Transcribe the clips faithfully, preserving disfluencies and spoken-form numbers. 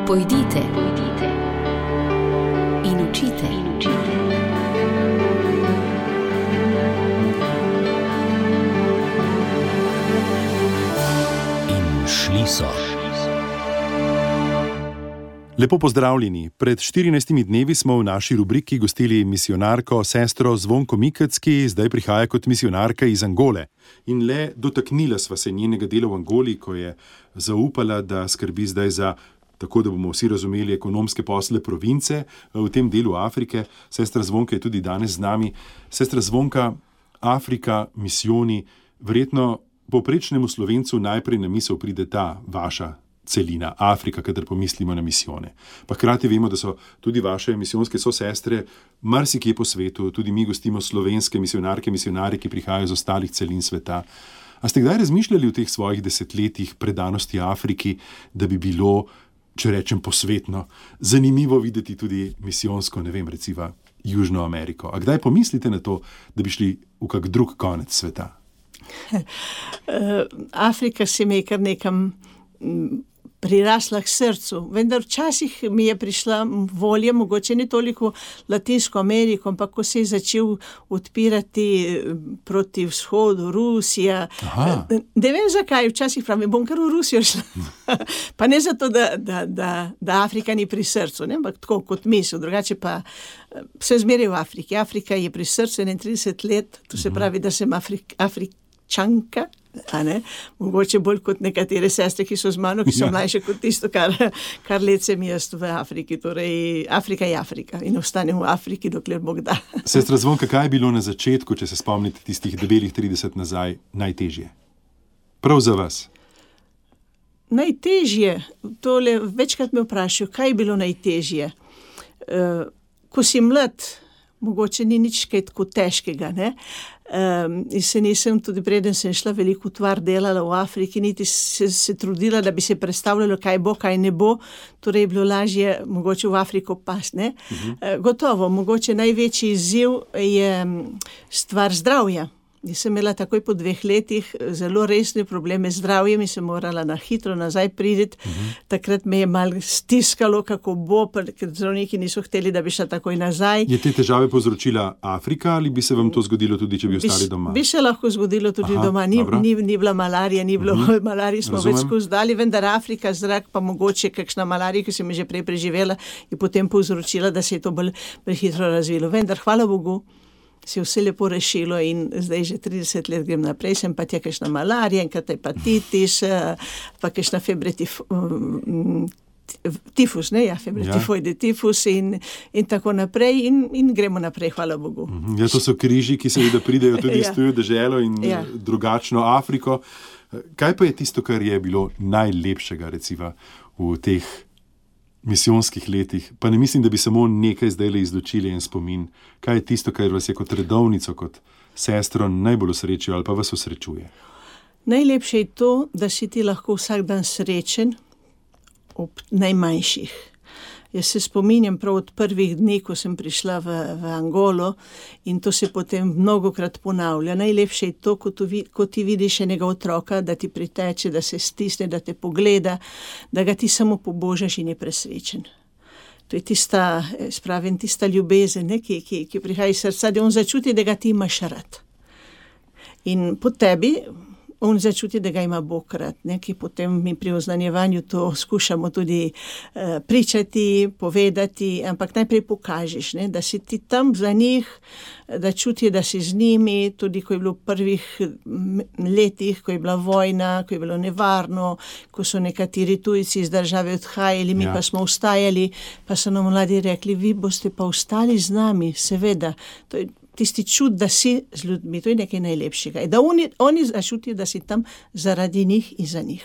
Pojdite, pojdite in učite, in učite. In šli so. Lepo pozdravljeni. Pred štirinajstimi dnevi smo v naši rubriki gostili misijonarko sestro Zvonko Mikec, ki zdaj prihaja kot misijonarka iz Angole. In le dotaknila sva se njenega dela v Angoli, ko je zaupala, da skrbi zdaj za, tako da bomo vsi razumeli, ekonomske posle province v tem delu Afrike. Sestra Zvonka je tudi danes z nami. Sestra Zvonka, Afrika, misijoni, verjetno povprečnemu Slovencu najprej na misel pride ta vaša celina, Afrika, kadar pomislimo na misijone. Pa hkrati vemo, da so tudi vaše misijonske sosestre marsikje po svetu, tudi mi gostimo slovenske misijonarke, misijonarje, ki prihajajo iz ostalih celin sveta. A ste kdaj razmišljali v teh svojih desetletjih predanosti Afriki, da bi bilo, če rečem posvetno, zanimivo videti tudi misijonsko, ne vem, recimo Južno Ameriko? A kdaj pomislite na to, da bi šli v kak drug konec sveta? Afrika se mi je kar nekam prirasla k srcu, vendar včasih mi je prišla volja, mogoče ne toliko Latinsko Ameriko, ampak ko se je začel odpirati proti vzhodu, Rusija. Aha. Ne vem zakaj, včasih pravim, bom kar v Rusijo šla. Pa ne zato, da, da, da, da Afrika ni pri srcu, ne? Ampak tako kot misel, drugače pa se zmeraj v Afriki. Afrika je pri srcu enaintrideset let, to se pravi, da sem Afrik, Afričanka, a ne, mogoče bolj kot nekatere sestre, ki so z mano, ki so ja. mlajše kot tisto, kar, kar let sem jaz v Afriki. Torej, Afrika je Afrika in ostanem v Afriki, dokler Bog da. Sestra Zvonka, kaj je bilo na začetku, če se spomnite tistih debelih trideset nazaj, najtežje? Prav za vas. Najtežje, tole večkrat me vprašajo, kaj je bilo najtežje? Uh, ko si mlad, mogoče ni nič kaj tako težkega, ne? Um, in se nisem, tudi preden sem šla veliko utvar delala v Afriki, niti se, se trudila, da bi se predstavljalo, kaj bo, kaj ne bo, torej je bilo lažje mogoče v Afriko pas, ne? Uh-huh. Uh, gotovo, mogoče največji izziv je stvar zdravja. Jaz sem imela takoj po dveh letih zelo resne probleme z zdravjem in sem morala na hitro nazaj priti. Uh-huh. Takrat me je malo stiskalo, kako bo, ker zdravniki niso hteli, da bi šla takoj nazaj. Je te težave povzročila Afrika ali bi se vam to zgodilo tudi, če bi ostali doma? Bi se lahko zgodilo tudi Aha, doma. Ni, ni, ni bila malarija, ni bilo uh-huh. malarije, smo Razumem. več skozi dali, vendar Afrika, zrak pa mogoče kakšna malarija, ki sem je že prej preživela, je potem povzročila, da se je to bolj prehitro razvilo. Vendar, hvala Bogu, se je vse lepo rešilo in zdaj že trideset let grem naprej, sem pa tja kakšna malarija, enkrat hepatitis, pa kakšna febre tif, um, tifus, ne, ja, febre ja. tifoide tifus in, in tako naprej in, in gremo naprej, hvala Bogu. Ja, to so križi, ki seveda pridejo tudi iz tujo deželo in ja. drugačno Afriko. Kaj pa je tisto, kar je bilo najlepšega, recimo, v teh misijonskih letih? Pa ne mislim, da bi samo nekaj zdajle izločili en spomin. Kaj je tisto, kar vas je kot redovnico, kot sestro najbolj osrečilo ali pa vas osrečuje? Najlepše je to, da si ti lahko vsak dan srečen ob najmanjših. Jaz se spominjam prav od prvih dni, ko sem prišla v, v Angolo in to se potem mnogokrat ponavlja. Najlepše je to, ko, tu, ko ti vidiš enega otroka, da ti priteče, da se stisne, da te pogleda, da ga ti samo pobožaš in je presrečen. To je tista, spravim, tista ljubezen, ne, ki, ki, ki prihaja iz srca, da on začuti, da ga ti imaš rad. In po tebi on začuti, da ga ima Bog rad, ne, ki potem mi pri oznanjevanju to skušamo tudi uh, pričati, povedati, ampak najprej pokažeš, ne, da si ti tam za njih, da čuti, da si z njimi, tudi ko je bilo v prvih letih, ko je bila vojna, ko je bilo nevarno, ko so nekateri tujci iz države odhajali, mi ja. pa smo ostajali, pa so nam mladi rekli, vi boste pa ostali z nami, seveda. To je tisti čut, da si z ljudmi, to je nekaj najlepšega. Da oni, oni začutijo, da si tam zaradi njih in za njih.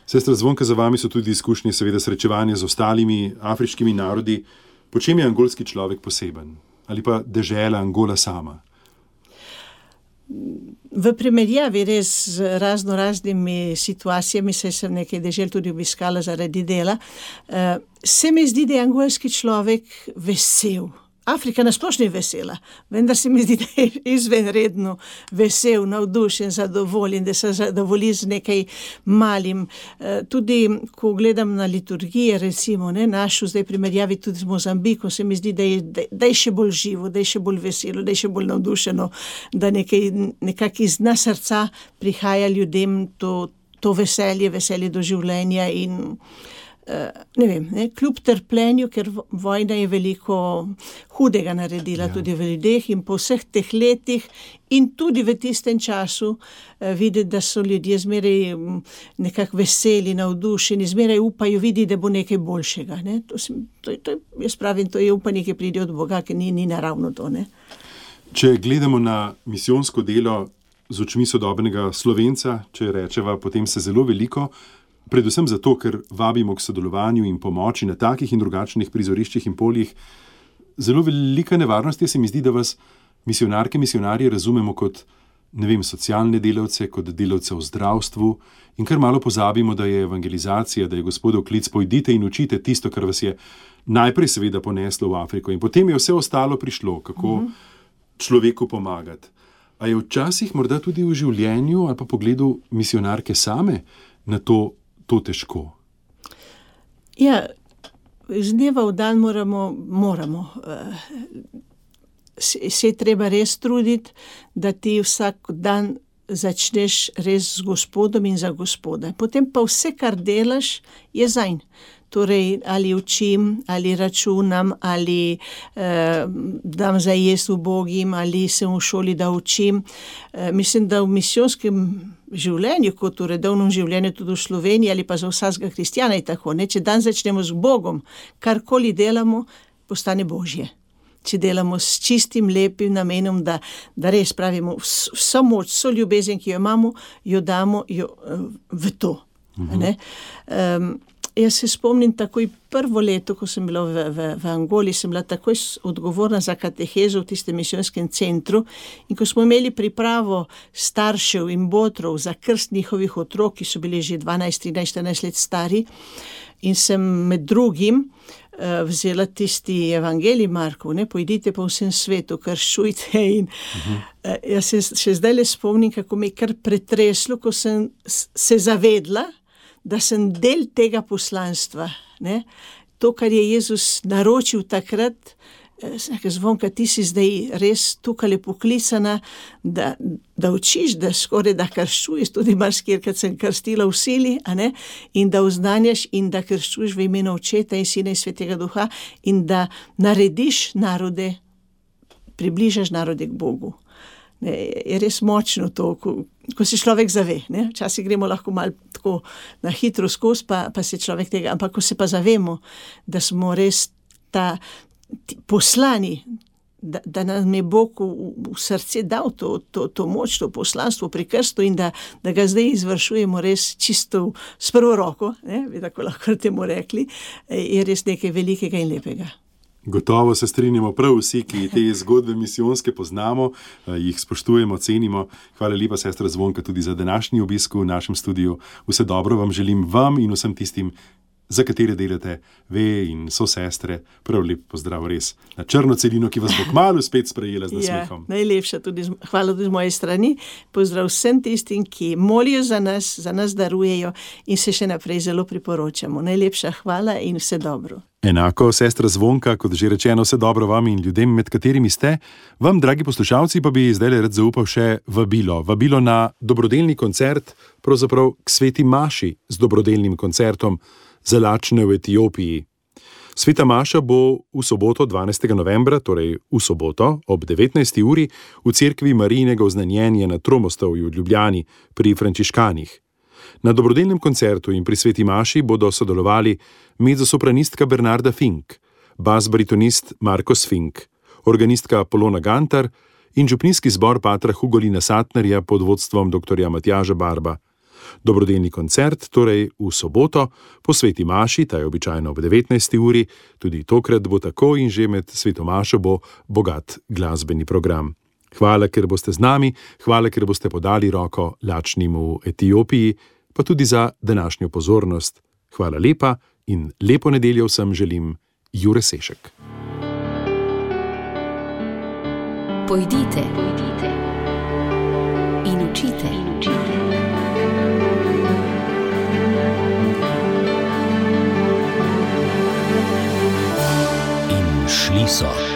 Sestra Zvonka, za vami so tudi izkušnje, seveda srečevanje z ostalimi afriškimi narodi. Po čem je angolski človek poseben? Ali pa dežela Angola sama? V primerjavi res z razno raznimi situacijami, saj sem nekaj dežel tudi obiskala zaradi dela, se mi zdi, da je angolski človek vesel, Afrika nasplošno je vesela, vendar se mi zdi, da je izvenredno vesel, navdušen, zadovoljen, da se zadovolji z nekaj malim. Tudi, ko gledam na liturgije, recimo, ne, našo zdaj primerjavi tudi z Mozambikom, se mi zdi, da je, da je še bolj živo, da je še bolj veselo, da je še bolj navdušeno, da nekaj, nekako iz dna srca prihaja ljudem to, to veselje, veselje do življenja in ne vem, ne, kljub trpljenju, ker vojna je veliko hudega naredila ja. Tudi v ljudeh in po vseh teh letih in tudi v tistem času eh, videti, da so ljudje zmeraj nekako veseli, navdušeni, zmeraj upajo videti, da bo nekaj boljšega. Ne. To sem, to, to, jaz pravim, to je upanje, ki pride od Boga, ki ni, ni naravno to. Ne. Če gledamo na misijonsko delo z očmi sodobnega Slovenca, če rečeva, potem se zelo veliko, predvsem zato, ker vabimo k sodelovanju in pomoči na takih in drugačnih prizoriščih in poljih. Zelo velika nevarnost je, se mi zdi, da vas misionarke, misionarji razumemo kot, ne vem, socialne delavce, kot delavce v zdravstvu in kar malo pozabimo, da je evangelizacija, da je Gospodov klic, pojdite in učite tisto, kar vas je najprej seveda poneslo v Afriko in potem je vse ostalo prišlo, kako mm-hmm. človeku pomagati. A je včasih morda tudi v življenju ali pa pogledu misionarke same na to to težko? Ja, iz dneva v dan moramo, moramo. Se, se treba res truditi, da ti vsak dan začneš res z Gospodom in za Gospoda. Potem pa vse, kar delaš, je zanj. Torej, ali učim, ali računam, ali eh, dam za jesti ubogim, ali sem v šoli, da učim. Eh, mislim, da v misijonskem življenju, kot v redovnem življenju tudi v Sloveniji, ali pa za vsakega kristjana je tako. Ne? Če dan začnemo z Bogom, karkoli delamo, postane Božje. Če delamo s čistim, lepim namenom, da, da res pravimo vso moč, vso ljubezen, ki jo imamo, jo damo jo, v to. Mhm. Ne? Um, Jaz se spomnim takoj prvo leto, ko sem bila v, v, v Angoli, sem bila takoj odgovorna za katehezo v tistem misijonskem centru in ko smo imeli pripravo staršev in botrov za krst njihovih otrok, ki so bili že dvanajst, trinajst, štirinajst let stari in sem med drugim uh, vzela tisti evangelij Markov, ne, pojdite po vsem svetu, krščujte in uh-huh. uh, jaz se še zdaj le spomnim, kako me je kar pretreslo, ko sem se zavedla, da sem del tega poslanstva. Ne? To, kar je Jezus naročil takrat, Zvonka, ti si zdaj res tukaj poklicana, da, da učiš, da skoraj da krščuješ, tudi marsikjer, kad sem krstila v sili, a ne? In da oznanjaš in da krščuješ v imenu Očeta in Sina in Svetega Duha in da narediš narode, približaš narode k Bogu. Ne, je res močno to, ko, ko se človek zave. Ne? Včasih gremo lahko malo tako na hitro skozi, pa, pa se človek tega, ampak ko se pa zavemo, da smo res ta poslani, da, da nam je Bog v, v srce dal to, to, to moč, to poslanstvo pri krstu in da, da ga zdaj izvršujemo res čisto s prvo roko, ne? Bi tako lahko temu rekli, je res nekaj velikega in lepega. Gotovo se strinjamo prav vsi, ki te zgodbe misijonske poznamo, jih spoštujemo, cenimo. Hvala lepa, sestra Zvonka, tudi za današnji obisk v našem studiu. Vse dobro vam želim vam in vsem tistim, za katere delate ve in so sestre. Prav lep pozdrav res na črno celino, ki vas bo kmalu spet sprejela z nasmehom. Ja, najlepša tudi, hvala tudi z moje strani. Pozdrav vsem tistim, ki molijo za nas, za nas darujejo in se še naprej zelo priporočamo. Najlepša hvala in vse dobro. Enako, sestra Zvonka, kot že rečeno, vse dobro vam in ljudem, med katerimi ste. Vam, dragi poslušalci, pa bi zdaj rad zaupal še vabilo. Vabilo na dobrodelni koncert, pravzaprav k sveti maši z dobrodelnim koncertom za lačne v Etiopiji. Sveta maša bo v soboto dvanajstega novembra, torej v soboto ob devetnajsti uri v cerkvi Marijinega oznanjenja na Tromostovju v Ljubljani pri frančiškanih. Na dobrodelnem koncertu in pri sveti maši bodo sodelovali mezzosopranistka Bernarda Fink, bas-baritonist Marcos Fink, organistka Polona Gantar in župnijski zbor patra Hugolina Satnerja pod vodstvom doktorja Matjaža Barba. Dobrodelni koncert torej v soboto po sveti maši, ta je običajno ob devetnajsti uri, tudi tokrat bo tako in že med sveto mašo bo bogat glasbeni program. Hvala, ker boste z nami, hvala, ker boste podali roko lačnim v Etiopiji, pa tudi za današnjo pozornost. Hvala lepa in lepo nedeljo vsem želim, Jure Sešek. Pojdite, pojdite in učite, in učite. In šli so.